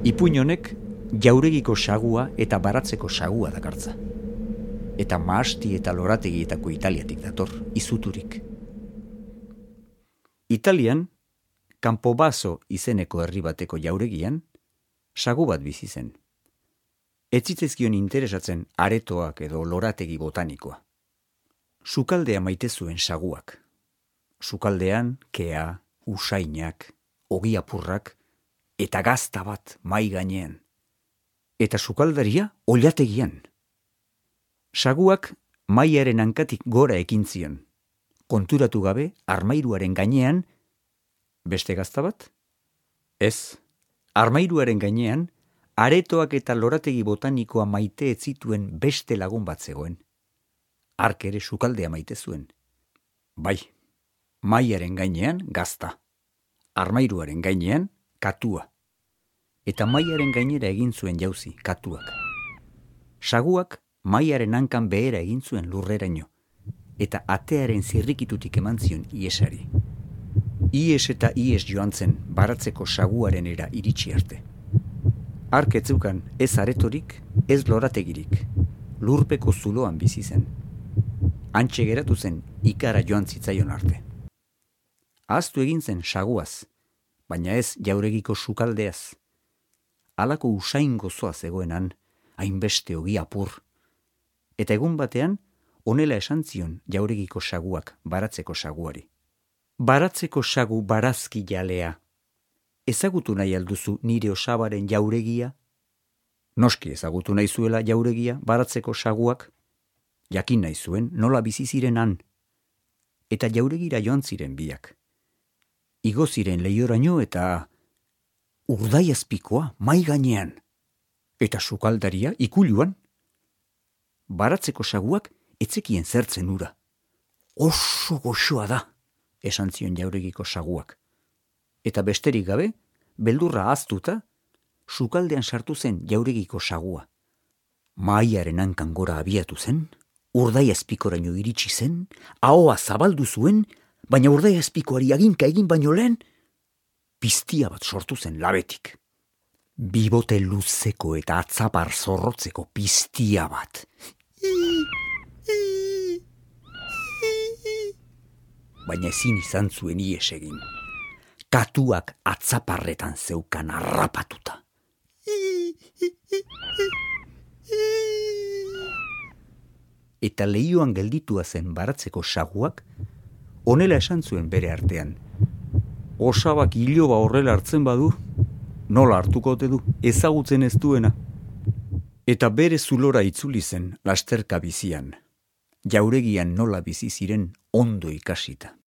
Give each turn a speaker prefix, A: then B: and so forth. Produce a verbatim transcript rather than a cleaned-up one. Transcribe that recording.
A: Ipuin honek jauregiko sagua eta baratzeko sagua dakartza. Eta mahasti eta lorategietako Italiatik dator, izuturik. Italian, Campobasso izeneko herri bateko jauregian, sagu bat bizi zen. Ez zitzezkion interesatzen aretoak edo lorategi botanikoa. Sukaldea maite zuen saguak. Sukaldean, kea, usainak, ogiapurrak, eta gazta bat mai gainean. Eta sukaldaria oilategian. Saguak maiaren hankatik gora ekin zion. Konturatu gabe armairuaren gainean, beste gazta bat? Ez, armairuaren gainean, aretoak eta lorategi botanikoa maite ez zituen beste lagun bat zegoen. Hark ere sukaldea maite zuen. Bai, maiaren gainean gazta, armairuaren gainean katua. Eta maiaren gainera egin zuen jauzi, katuak. Saguak maiaren hankan behera egin zuen lurreraino, eta atearen zirrikitutik eman zion iesari. Ies eta ies joan zen baratzeko saguaren era iritsi arte. Hark ez zeukan ez aretorik, ez lorategirik, lurpeko zuloan bizi zen. Hantxe geratu zen ikara joan zitzaion arte. Ahaztu egin zen saguaz, baina ez jauregiko sukaldeaz. Halako usain gozoa zegoenan, hainbeste ogi apur. Eta egun batean, honela esan zion jauregiko saguak baratzeko saguari. Baratzeko sagu barazki jalea. Ezagutu nahi alduzu nire osabaren jauregia? Noski ezagutu nahi zuela jauregia baratzeko saguak? Jakin nahi zuen nola bizi ziren han. Eta jauregira joan ziren biak. Igo ziren leioraino eta urdaiazpikoa mai gainean. Eta sukaldaria ikuluan. Baratzeko saguak etzekien zertzen ura. Oso goxoa da, esan zion jauregiko saguak. Eta besterik gabe, beldurra ahaztuta, sukaldean sartu zen jauregiko sagua. Maiaren hankan gora abiatu zen, urdaiazpikoraino iritsi zen, ahoa zabaldu zuen, baina urdaiazpikoari aginka egin baino lehen, piztia bat sortu zen labetik. Bibote luzeko eta atzapar zorrotzeko piztia bat. Baina ezin izan zuen ies egin. Katuak atzaparretan zeukan harrapatuta. Eta leioan gelditua zen baratzeko saguak, honela esan zuen bere artean. Osabak iloba horrela hartzen badu, nola hartuko ote du, ezagutzen ez duena. Eta bere zulora itzuli zen lasterka bizian, jauregian nola bizi ziren ondo ikasita.